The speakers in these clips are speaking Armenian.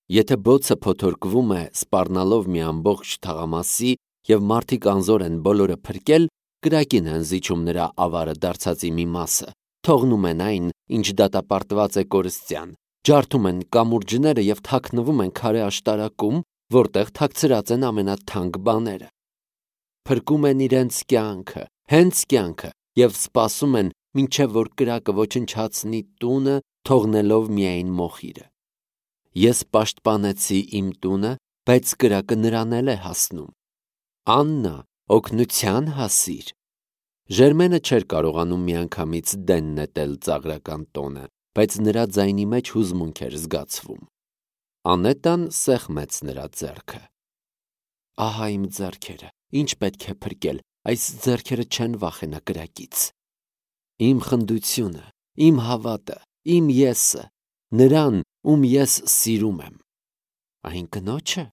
Եթե բոցը փոթորկվում է սպառնալով մի ամբողջ թաղամասի և մարդիկ անզոր են բոլորը փրկել, կրակին են զիջում նրա ավարը դարձածի մի մասը, թողնում են այն, ինչ դատապարտված է կորստյան, ջարդում են կամուրջները և թաքնվում են քարե աշտարակում, որտեղ թաքցրած են ամենաթանկ բաները։ Փրկում են իրենց կյանքը, հենց կյանքը, և սպասում են, մինչև որ կրակը ոչնչացնի տունը, թողնելով միայն մոխիրը։ Ես պաշտպանեցի իմ տունը, բայց կրակը նրան էլ է հասնում։ Աննա, օգնության հասիր։ Ժերմենը չէր կարողանում միանգամից դեն նետել ծաղրական տոնը, բայց նրա ձայնի մեջ հուզմունք էր զգացվում։ Անետան սեղմեց նրա ձեռքը։ Ահա իմ ձեռքերը, ինչ պետք է փրկել, այս ձեռքերը չեն վախենա կրակից։ Իմ խնդությունը, իմ հավատը, իմ եսը, նրան, ում ես սիրում եմ։ Այն կնոջը,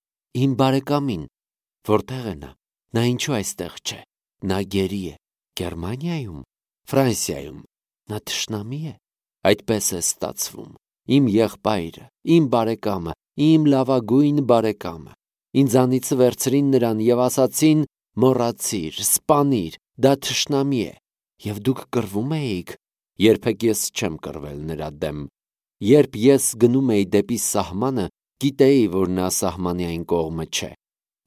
իմ բարեկամին, որտեղ է նա, նա ինչու այստեղ չէ, նա գերի է, Գերմանիայում, Ֆրանսիայում, նա թշնամի է, այդպես է ստացվում, իմ եղբայրը, իմ բարեկամը, իմ լավագույն բարեկամը, ինձանից վերցրին նրան և ասացին. մոռացիր, սպանիր, դա թշնամի է, և դուք կռվում էիք, երբեք ես չեմ կռվել նրա դեմ, երբ ես գնում էի դեպի սահմանը, գիտեի, որ նա սահմանի այն կողմը չէ,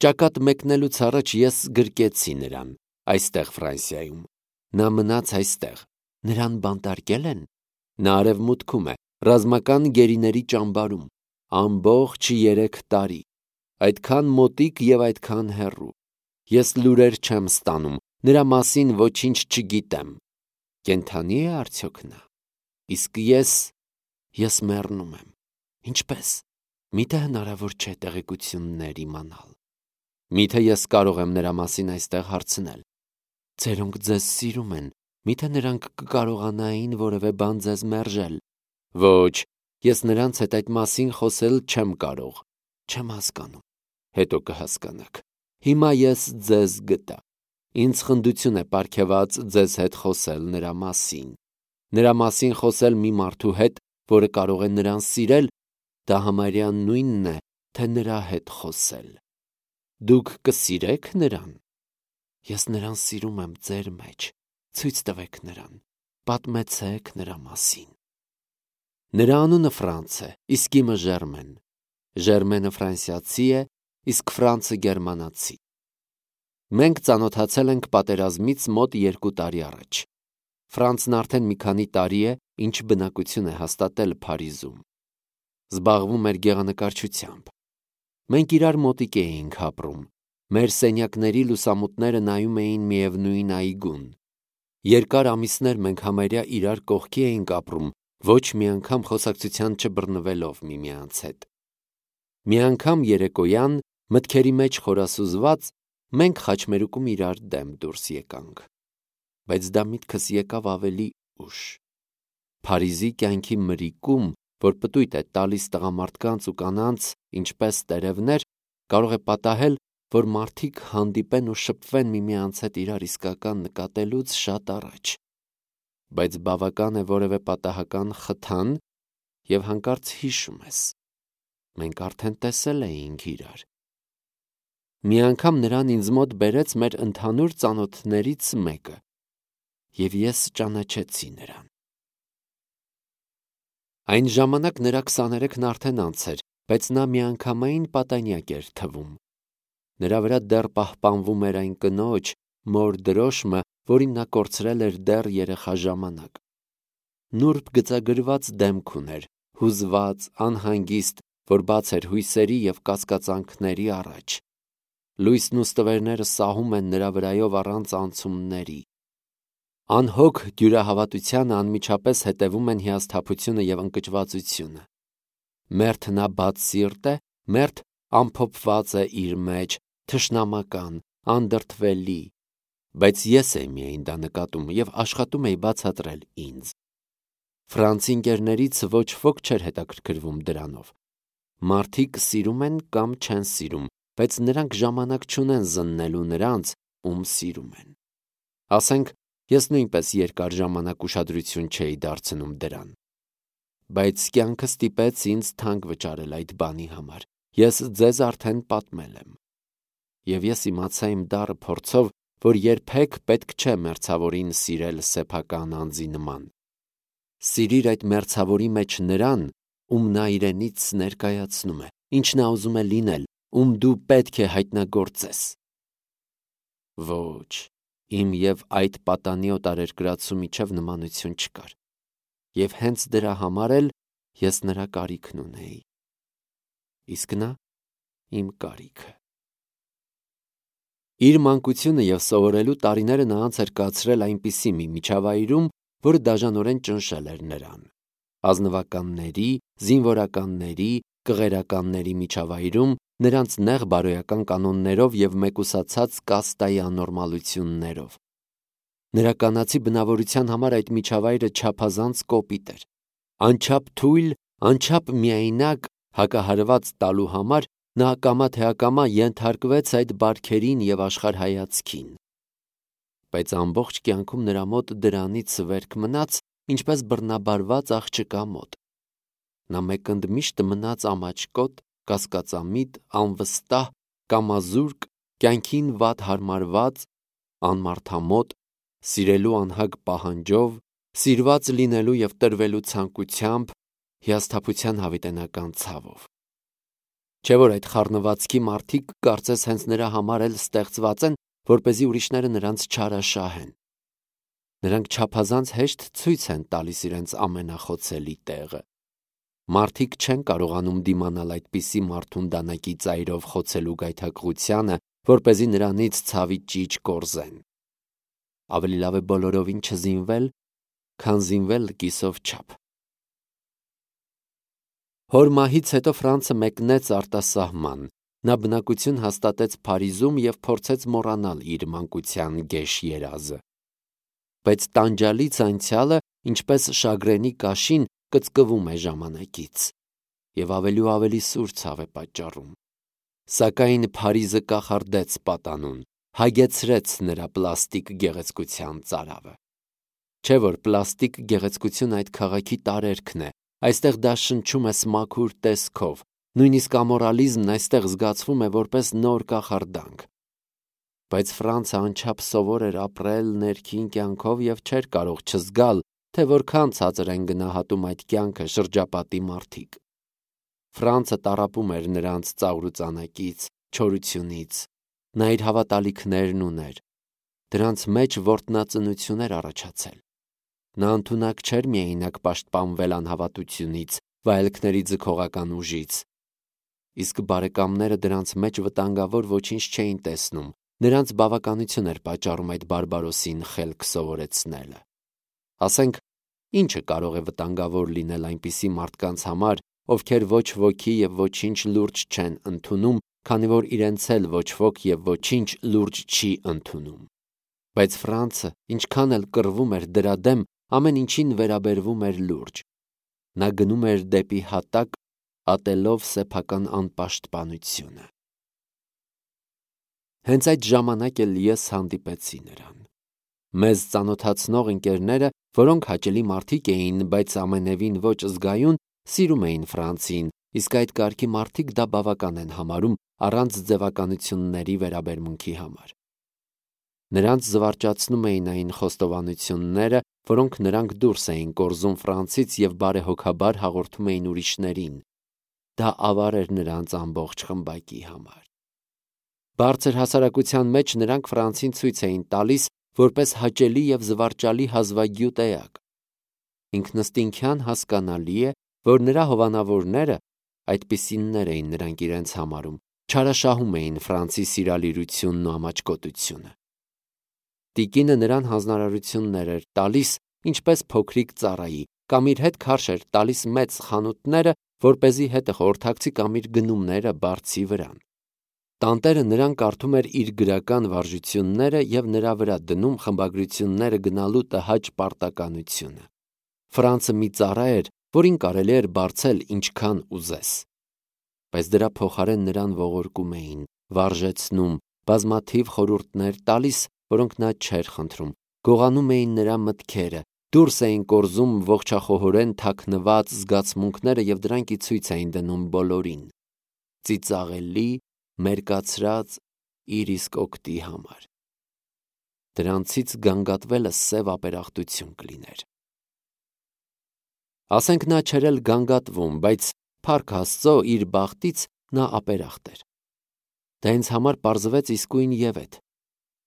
ճակատ մեկնելուց առաջ ես գրկեցի նրան, այստեղ Ֆրանսիայում, նա մնաց այստեղ, նրան բանտարկել են, նա արևմուտքում է, ռազմական գերիների ճամբարում, ամբողջ 3 տարի, այդքան մոտիկ և այդքան հեռու, ես լուրեր չեմ ստանում, նրա մասին ոչինչ չգիտեմ, կենդանի է արդյոք նա, իսկ ես մեռնում եմ, ինչպե՞ս, միթե հնարավոր չէ տեղեկություններ իմանալ, միթե ես կարող եմ նրա մասին այստեղ հարցնել, ձերոնք ձեզ սիրում են, միթե նրանք կկարողանային որևէ բան ձեզ մերժել, ոչ, ես նրանց հետ այդ մասին խոսել չեմ կարող, չեմ հասկանում, հետո կհասկանաք, հիմա ես ձեզ գտա, ինձ խնդություն է պարգևած ձեզ հետ խոսել նրա մասին խոսել մի մարդու հետ, որը կարող է նրան սիրել, դա համարյա նույնն է, թե նրա հետ խոսել, դուք կսիրեք նրան, ես նրան սիրում եմ ձեր մեջ, ցույց տվեք նրան, պատմեցեք նրա մասին, նրա անունը Ֆրանց է, իսկ իմը Ժերմեն, Ժերմենը ֆրանսիացի է, իսկ Ֆրանցը գերմանացի։ Մենք ծանոթացել ենք պատերազմից մոտ 2 տարի առաջ։ Ֆրանցն արդեն մի քանի տարի է, ինչ բնակություն է հաստատել Փարիզում։ Զբաղվում էր գեղանկարչությամբ։ Մենք իրար մոտիկ էինք ապրում։ Մեր սենյակների լուսամուտները նայում էին միևնույն այգուն։ Երկար ամիսներ մենք համարյա իրար կողքի էինք ապրում, ոչ մի անգամ խոսակցության չբռնվելով միմյանց հետ։ Մի անգամ երեկոյան, մտքերի մեջ խորասուզված, մենք խաչմերուկում իրար դեմ դուրս եկանք, բայց դա միտքս եկավ ավելի ուշ։ Փարիզի կյանքի մրիկում, որ պտույտ է տալիս տղամարդկանց ու կանանց, ինչպես տերևներ, կարող է պատահել, որ մարդիկ հանդիպեն ու շփվեն միմյանց հետ իրար իսկական նկատելուց շատ առաջ, բայց բավական է որևէ պատահական խթան և հանկարծ հիշում ես, մենք արդեն տեսել էինք իրար։ Մի անգամ նրան ինձ մոտ բերեց մեր ընդհանուր ծանոթներից մեկը, և ես ճանաչեցի նրան։ Այն ժամանակ նրա 23-ն արդեն անց էր, բայց նա միանգամայն պատանյակ էր թվում։ Նրա վրա դեռ պահպանվում էր այն կնոջ, մոր դրոշմը, որին նա կորցրել էր դեռ երեխա ժամանակ։ Նուրբ գծագրված դեմք ուներ, հուզված, անհանգիստ, որ բաց էր հույսերի և կասկածանքների առաջ։ Լույսն ու ստվերները սահում են նրա վրայով առանց անցումների։ Անհոգ դյուրահավատությանը անմիջապես հետևում են հիասթափությունը և ընկճվածությունը։ Մերթ նա բաց սիրտ է, մերթ ամփոփված է իր մեջ, թշնամական, անդրդվելի, բայց ես էի միայն դա նկատում և աշխատում էի բացատրել ինձ։ Ֆրանցի ընկերներից ոչ ոք չէր հետաքրքրվում դրանով։ Մարդիկ սիրում են կամ չեն սիրում, բայց նրանք ժամանակ չունեն զննելու նրանց, ում սիրում են։ Ասենք, ես նույնպես երկար ժամանակ ուշադրություն չէի դարձնում դրան։ բայց կյանքը ստիպեց ինձ թանկ վճարել այդ բանի համար։ Ես ձեզ արդեն պատմել եմ։ Եվ ես իմացա իմ դառը փորձով, որ երբեք պետք չէ մերձավորին սիրել սեփական անձի նման։ Սիրիր այդ մերձավորի մեջ նրան, ում նա իրենից ներկայացնում է, ինչ նա ուզում է լինել, ում դու պետք է հայտնագործես։ Ոչ, իմ և այդ պատանի օտարերկրացու միջև նմանություն չկար։ Եվ հենց դրա համար էլ ես նրա կարիքն ունեի։ Իսկ նա իմ կարիքը։ Իր մանկությունը և սովորելու տարիները նա անց էր կացրել այնպիսի մի միջավայրում, որը դաժանորեն ճնշել էր նրան։ Ազնվականների, զինվորականների, կղերականների միջավայրում, նրանց նեղ բարոյական կանոններով և մեկուսացած կաստայի աննորմալություններով։ Նրա կանացի բնավորության համար այդ միջավայրը չափազանց կոպիտ էր։ Անչափ թույլ, անչափ միայնակ հակահարված տալու համար նա ակամա թե ակամա ենթարկվեց այդ բարքերին և աշխարհայացքին։ Բայց ամբողջ կյանքում նրա մոտ դրանից վերք մնաց, ինչպես բռնաբարված աղջկա մոտ։ Նա մեկընդ միշտ մնաց ամաչկոտ, կասկածամիտ, անվստահ, կամազուրկ, կյանքին վատ հարմարված, անմարդամոտ, սիրելու անհագ պահանջով, սիրված լինելու և տրվելու ցանկությամբ, հիասթափության հավիտենական ցավով։ Չէ՞ որ այդ խառնվածքի մարդիկ կարծես հենց նրա համար էլ ստեղծված են, որպեսզի ուրիշները նրանց չարաշահեն։ Նրանք չափազանց հեշտ ցույց են տալիս իրենց ամենախոցելի տեղը։ Մարդիկ չեն կարողանում դիմանալ այդպիսի մարդուն դանակի ծայրով խոցելու գայթակղությանը, որպեսզի նրանից ցավի ճիչ կորզեն։ Ավելի լավ է բոլորովին չզինվել, քան զինվել կիսով չափ։ Հոր մահից հետո Ֆրանցը մեկնեց արտասահման։ Նա բնակություն հաստատեց Փարիզում և փորձեց մոռանալ իր մանկության գեշ երազը։ Բայց տանջալից անցյալը, ինչպես շագրենի կաշին, կծկվում է ժամանակից, և ավելի ու ավելի սուր ցավ է պատճառում։ Սակայն Փարիզը կախարդեց պատանուն, հագեցրեց նրա պլաստիկ գեղեցկության ծարավը։ Չէ՞ որ պլաստիկ գեղեցկությունը այդ քաղաքի տարերքն է, այստեղ դա շնչում է սմաքուր տեսքով, նույնիսկ ամորալիզմն այստեղ զգացվում է որպես նոր կախարդանք։ Բայց Ֆրանցը անչափ սովոր էր ապրել ներքին կյանքով և չէր կարող չզգալ, թե որքան ցածր են գնահատում այդ կյանքը շրջապատի մարդիկ։ Ֆրանցը տառապում էր նրանց ծաղրուծանակից, չորությունից։ Նա իր հավատալիքներն ուներ։ Դրանց մեջ որտնածնություն էր առաջացել։ Նա ընդունակ չէր միայնակ պաշտպանվել անհավատությունից, վայելքների ձգողական ուժից։ Իսկ բարեկամները դրանց մեջ վտանգավոր ոչինչ չէին տեսնում։ Նրանց բավականություն էր պատճառում այդ բարբարոսին խելք սովորեցնելը։ Ասենք, ինչը կարող է վտանգավոր լինել այնպիսի մարդկանց համար, ովքեր ոչ ոքի և ոչինչ լուրջ չեն ընդունում, քանի որ իրենց էլ ոչ ոք և ոչինչ լուրջ չի ընդունում։ Բայց Ֆրանցը, ինչքան էլ կռվում էր դրա դեմ, ամեն ինչին վերաբերվում էր լուրջ։ Նա գնում էր դեպի հատակ, ատելով սեփական անպաշտպանությունը։ Հենց այդ ժամանակ էլ ես հանդիպեցի նրան։ Մեզ ծանոթացնող ընկերները, որոնք հաճելի մարդիկ էին, բայց ամենևին ոչ զգայուն, սիրում էին Ֆրանցին, իսկ այդ կարգի մարդիկ դա բավական են համարում առանց ձևականությունների վերաբերմունքի համար։ Նրանց զվարճացնում էին այն խոստովանությունները, որոնք նրանք դուրս էին կորզում Ֆրանցից և բարեհոգաբար հաղորդում էին ուրիշներին։ Դա ավար էր նրանց ամբողջ խմբակի համար։ Բարձր հասարակության մեջ նրանք Ֆրանցին ցույց էին տալիս որպես հաճելի և զվարճալի հազվագյուտ էակ։ Ինքնըստինքյան հասկանալի է, որ նրա հովանավորները, այդպիսիններ էին նրանք իրենց համարում, չարաշահում էին Ֆրանցի սիրալիրությունն ու ամաչկոտությունը։ Տիկինը նրան հանձնարարություններ էր տալիս, ինչպես փոքրիկ ծառայի, կամ իր հետ քարշ էր տալիս մեծ խանութները, որպեսզի հետը խորհրդակցի կամ իր գնումները բարձի վրան։ Տանտերը նրան կարդում էր իր գրական վարժությունները և նրա վրա դնում խմբագրությունները գնալու տհաճ պարտականությունը։ Ֆրանցը մի ծառա էր, որին կարելի էր բարձել ինչքան ուզես։ Բայց դրա փոխարեն նրան ողորկում էին, վարժեցնում, բազմաթիվ խորհուրդներ տալիս, որոնք նա չէր խնդրում, գողանում էին նրա մտքերը, Դուրս էին կորզում ողջախոհորեն թաքնված զգացմունքները և դրանք ի ցույց էին դնում բոլորին, ծիծաղելի, մերկացրած, իր իսկ օգտի համար։ Դրանցից գանգատվելը սև ապերախտություն կլիներ։ Ասենք նա չէր էլ գանգատվում, բայց փառք Աստծո իր բախտից նա ապերախտ էր։ Դա ինձ համար պարզվեց իսկույն ևեթ։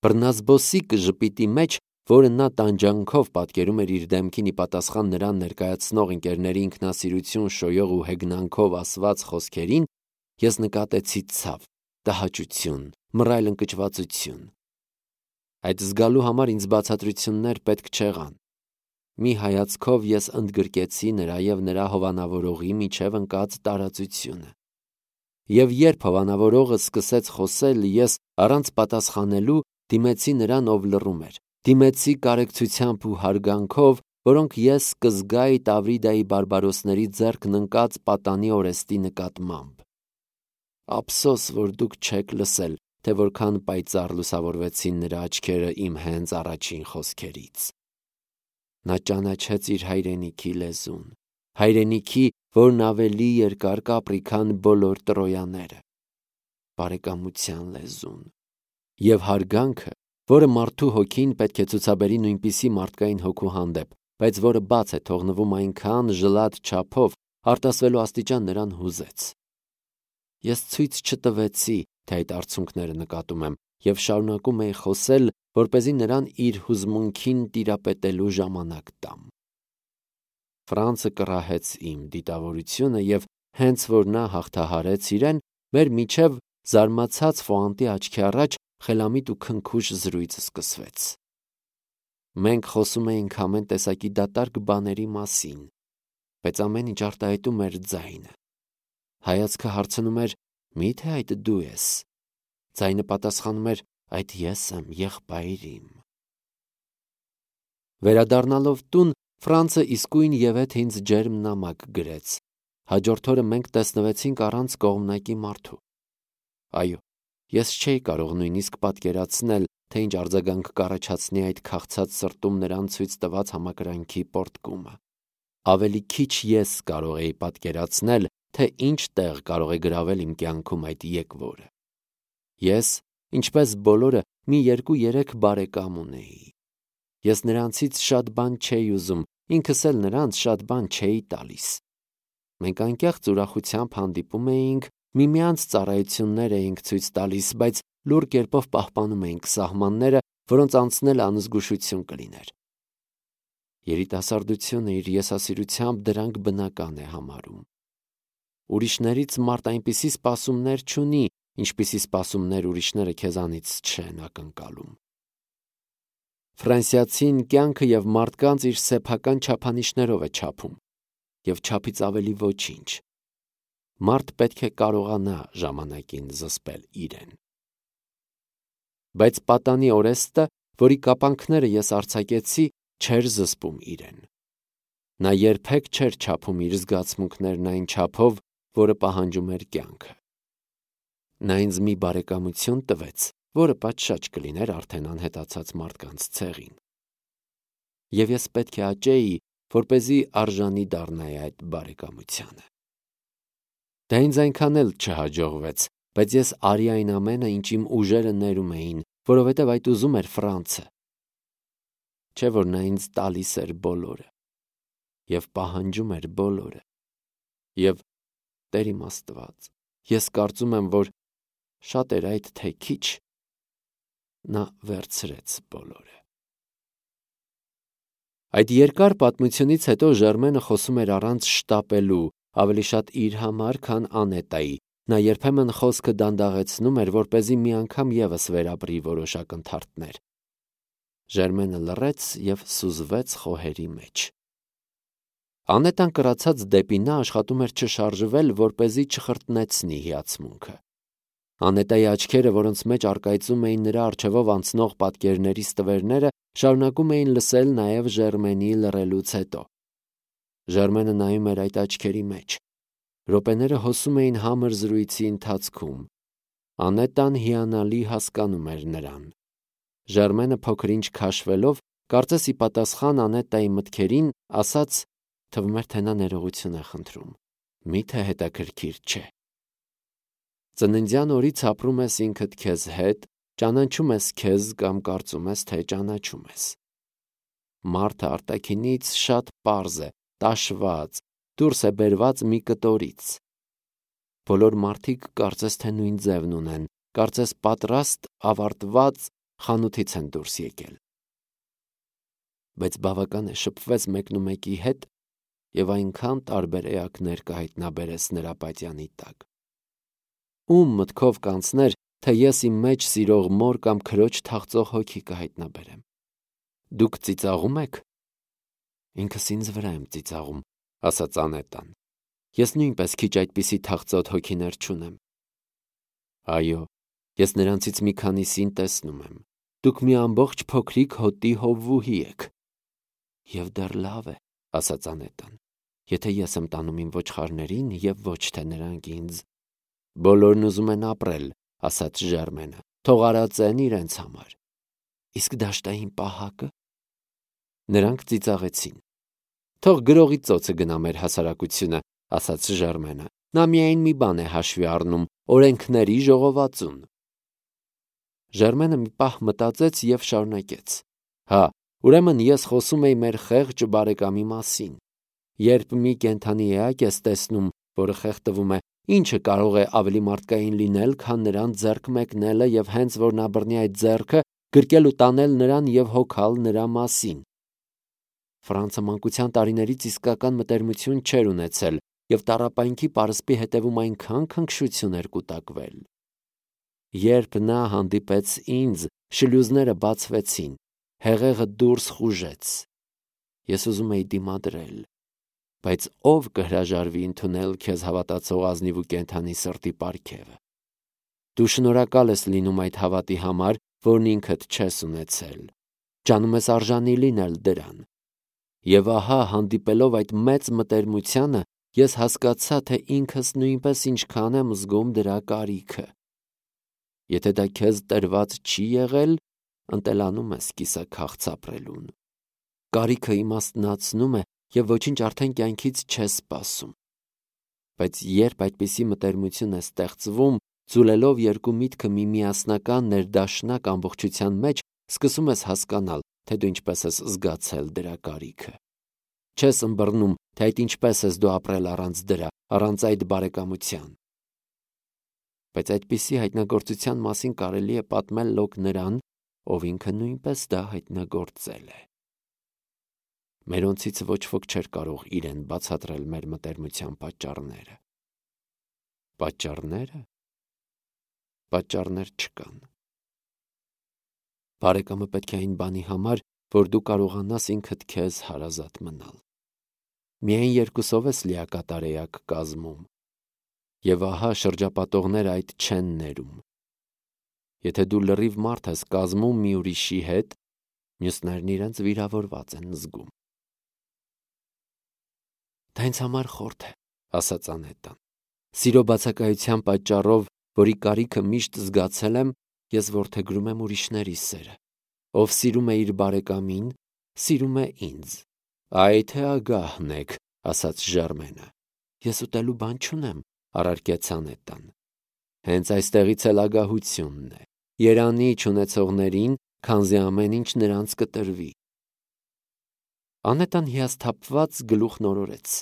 Բռնազբոսիկ ժպիտի մեջ, որը նա տանջանքով պատկերում էր իր դեմքին ի պատասխան նրան ներկայացնող ընկերների ինքնասիրություն շոյող ու հեգնանքով ասված խոսքերին, ես նկատեցի ցավ, տհաճություն, մռայլ ընկճվածություն։ Այդ զգալու համար ինձ բացատրություններ պետք չեղան։ Մի հայացքով ես ընդգրկեցի նրա և նրա հովանավորողի միջև ընկած տարածությունը։ Եվ երբ հովանավորողը սկսեց խոսել, ես առանց պատասխանելու դիմեցի նրան, ով լռում էր, դիմեցի կարեկցությամբ ու հարգանքով, որոնք ես կզգայի Տավրիդայի բարբարոսների ձեռքն ընկած պատանի օրեստի նկատմամբ։ Ափսոս, որ դուք չեք լսել, թե որքան պայծառ լուսավորվեցին նրա աչքերը իմ հենց առաջին խոսքերից։ Նա ճանաչեց իր հայրենիքի լեզուն, հայրենիքի, որն ավելի երկար կապրի, քան բոլոր Տրոյաները, բարեկամության լեզուն և հարգանքը, որը մարդու հոգին պետք է ցուցաբերի նույնպիսի մարդկային հոգու հանդեպ, բայց որը բաց է թողնվում այնքան ժլատ չափով, արտասվելու աստիճան նրան հուզեց։ Ես ցույց չտվեցի, թե այդ արցունքները նկատում եմ, և շարունակում էի խոսել, որպեսզի նրան իր հուզմունքին տիրապետելու ժամանակ տամ։ Ֆրանցը կռահեց իմ դիտավորությունը և հենց որ նա հաղթահարեց իրեն, մեր միջև զարմացած Ֆոանտի աչքի առաջ խելամիտ ու քնքուշ զրույց սկսվեց։ Մենք խոսում էինք ամեն տեսակի դատարկ բաների մասին, բայց ամեն ինչ արտահայտում էր ձայնը։ Հայացքը հարցնում էր. «Մի՞թե այդ դու ես»։ Ձայնը պատասխանում էր. «Այդ ես եմ, եղբայր իմ»։ Վերադառնալով տուն, Ֆրանցը իսկույն ևեթ ինձ ջերմ նամակ գրեց։ Հաջորդ օրը մենք տեսնվեցինք առանց կողմնակի մարդու։ Այո, ես չէի կարող նույնիսկ պատկերացնել, թե ինչ արձագանք կառաջացնի այդ քաղցած սրտում նրան ցույց տված համակրանքի պոռթկումը։ Ավելի քիչ ես կարող էի պատկերացնել, թե ինչ տեղ կարող է գրավել իմ կյանքում այդ եկվորը։ Ես, ինչպես բոլորը, մի 2-3 բարեկամ ունեի։ Ես նրանցից շատ բան չէի ուզում, ինքս էլ նրանց շատ բան չէի տալիս։ Մենք անկեղծ ուրախությամբ հանդիպում էինք, միմյանց ծառայություններ էինք ցույց տալիս, բայց լուռ կերպով պահպանում էինք սահմանները, որոնց անցնելը անզգուշություն կլիներ։ Երիտասարդությունը իր եսասիրությամբ դրանք բնական է համարում։ Ուրիշներից մարդ այնպիսի սպասումներ չունի, ինչպիսի սպասումներ ուրիշները քեզանից չեն ակնկալում։ Ֆրանսիացին կյանքը և մարդկանց իր սեփական չափանիշներով է չափում, և չափից ավելի ոչինչ։ Մարդ պետք է կարողանա ժամանակին զսպել իրեն։ Բայց պատանի օրեստը, որի կապանքները ես արձակեցի, չէր զսպում իրեն։ Նա երբեք չէր չափում իր զգացմունքներն այն չափով, որը պահանջում էր կյանքը։ Նա ինձ մի բարեկամություն տվեց, որը պատշաճ կլիներ արդեն անհետացած մարդկանց ցեղին։ Եվ ես պետք է աճեի, որպեսզի արժանի դառնայի այդ բարեկամությանը։ Դա ինձ այնքան էլ չհաջողվեց, բայց ես արի այն ամենը, ինչ իմ ուժերը ներում էին, որովհետև այդ ուզում էր Ֆրանցը։ Չէ՞ որ նա ինձ տալիս էր բոլորը և պահանջում էր բոլորը։ Եվ Տեր իմ Աստված, ես կարծում եմ, որ շատ էր այդ թե քիչ, նա վերցրեց բոլորը։ Այդ երկար պատմությունից հետո Ժերմենը խոսում էր առանց շտապելու, ավելի շատ իր համար, քան Անետայի։ Նա երբեմն խոսքը դանդաղեցնում էր, որպեսզի մի անգամ ևս վերապրի որոշ ակնթարթներ։ Ժերմենը լռեց և սուզվեց խոհերի մեջ։ Անետան կրացած դեպի նա աշխատում էր չշարժվել, որպեսզի չխրտնեցնի հիացմունքը։ Անետայի աչքերը, որոնց մեջ առկայծում էին նրա առջևով անցնող պատկերների ստվերները, շարունակում էին լսել նաև Ժերմենի լռելուց հետո։ Ժերմենը նայում էր այդ աչքերի մեջ։ Րոպեները հոսում էին համր զրույցի ընթացքում։ Անետան հիանալի հասկանում էր նրան։ Ժերմենը փոքր-ինչ քաշվելով Կարծես ի պատասխան Անետայի մտքերին ասաց, թվում էր, թե նա ներողություն է խնդրում։ Միթե հետաքրքիր չէ։ Ծննդյան օրից ապրում ես ինքդ քեզ հետ, ճանաչում ես քեզ կամ կարծում ես, թե ճանաչում ես։ Մարդը արտաքինից շատ պարզ է, տաշված, դուրս է բերված մի կտորից։ Բոլոր մարդիկ կարծես թե նույն ձևն ունեն, կարծես պատրաստ, ավարտված խանութից են դուրս եկել։ Բայց բավական է շփվես մեկնումեկի հետ և այնքան տարբեր էակներ կհայտնաբերես նրա պատյանի տակ։ Ում մտքով կանցներ, թե ես իմ մեջ սիրող մոր կամ քրոջ թախծող հոգի կհայտնաբերեմ։ Դուք ծիծաղում եք։ Ինքս ինձ վրա եմ ծիծաղում, ասաց Անետան։ Ես նույնպես քիչ այդպիսի թախծոտ հոգիներ չունեմ։ Այո, ես նրանցից մի քանիսին տեսնում եմ։ Դուք մի ամբողջ փոքրիկ հոտի հովվուհի եք։ Եվ դեռ լավ է, ասաց Անետան, եթե ես եմ տանում իմ ոչխարներին և ոչ թե նրանք ինձ։ Բոլորն ուզում են ապրել, ասաց Ժերմենը, թող արածեն իրենց համար։ Իսկ դաշտային պահակը։ Նրանք ծիծաղեցին։ Թող գրողի ծոցը գնա մեր հասարակությունը, ասաց Ժերմենը։ Նա միայն մի բան է հաշվի առնում՝ օրենքների ժողովածուն։ Ժերմենը մի պահ մտածեց և շարունակեց. Հա, ուրեմն ես խոսում էի մեր խեղճ բարեկամի մասին։ Երբ մի կենդանի էակ ես տեսնում, որը խեղդվում է, ինչը կարող է ավելի մարդկային լինել, քան նրան ձեռք մեկնելը և հենց որ նա բռնի այդ ձեռքը, գրկել ու տանել նրան և հոգալ նրա մասին։ Ֆրանցը մանկության տարիներից իսկական մտերմություն չէր ունեցել և տառապանքի պարսպի հետևում այնքան քնքշություն էր կուտակվել։ Երբ նա հանդիպեց ինձ, շլյուզները բացվեցին, հեղեղը դուրս խուժեց։ Ես ուզում էի դիմադրել, բայց ով կհրաժարվի ընդունել քեզ հավատացող ազնիվ ու կենդանի սրտի պարգևը։ Դու շնորհակալ ես լինում այդ հավատի համար, որն ինքդ չես ունեցել։ Ջանում ես արժանի լինել դրան։ Եվ ահա, հանդիպելով այդ մեծ մտերմությանը, ես հասկացա, թե ինքս նույնպես ինչքան եմ զգում դրա կարիքը։ Եթե դա քեզ տրված չի եղել, ընտելանում ես կիսաքաղց ապրելուն։ Կարիքը իմաստնացնում է և ոչինչ արդեն կյանքից չես սպասում։ Բայց երբ այդպիսի մտերմություն է ստեղծվում, ձուլելով երկու միտքը մի միասնական ներդաշնակ ամբողջության մեջ, սկսում ես հասկանալ, թե դու ինչպես ես զգացել դրա կարիքը։ Չես ըմբռնում, թե այդ ինչպես ես դու ապրել առանց դրա, առանց այդ բարեկամության։ Բայց այդպիսի հայտնագործության մասին կարելի է պատմել լոկ նրան, ով ինքը նույնպես դա հայտնագործել է։ Մերոնցից ոչ ոք չէր կարող իրեն բացատրել մեր մտերմության պատճառները։ Պատճառները։ Պատճառներ չկան։ Բարեկամը պետք է այն բանի համար, որ դու կարողանաս ինքդ քեզ հարազատ մնալ։ Միայն երկուսով ես լիակատար էակ կազմում։ Եվ ահա շրջապատողները այդ չեն ներում։ Եթե դու լրիվ մարդ ես կազմում մի ուրիշի հետ, մյուսներն իրենց վիրավորված են զգում։ Դա ինձ համար խորթ է, ասաց Անետան։ Սիրո բացակայության պատճառով, որի կարիքը միշտ զգացել եմ, ես որդեգրում եմ ուրիշների սերը։ Ով սիրում է իր բարեկամին, սիրում է ինձ։ Այ թե ագահն եք, ասաց Ժերմենը։ Ես ուտելու բան չունեմ, առարկեց Անետան։ Հենց այստեղից էլ ագահությունն է։ Երանի չունեցողներին, քանզի ամեն ինչ նրանց կտրվի։ Անետան հիասթափված գլուխ նորորեց։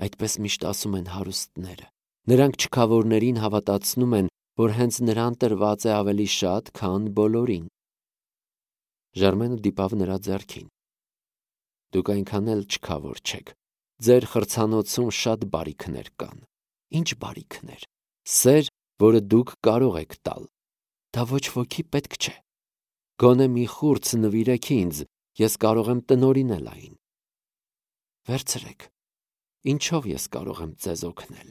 Այդպես միշտ ասում են հարուստները։ Նրանք չքավորներին հավատացնում են, որ հենց նրան տրված է ավելի շատ, քան բոլորին։ Ժերմենը դիպավ նրա ձեռքին։ Դուք այնքան էլ չքավոր չեք։ Ձեր խրցանոցում շատ բարիքներ կան։ Ինչ բարիքներ։ Սեր, որը դուք կարող եք տալ։ Դա ոչ ոքի պետք չէ։ Գոնե մի խուրձ նվիրեք ինձ, ես կարող եմ տնօրինել այն։ Վերցրեք։ Ինչով ես կարող եմ ձեզ օգնել։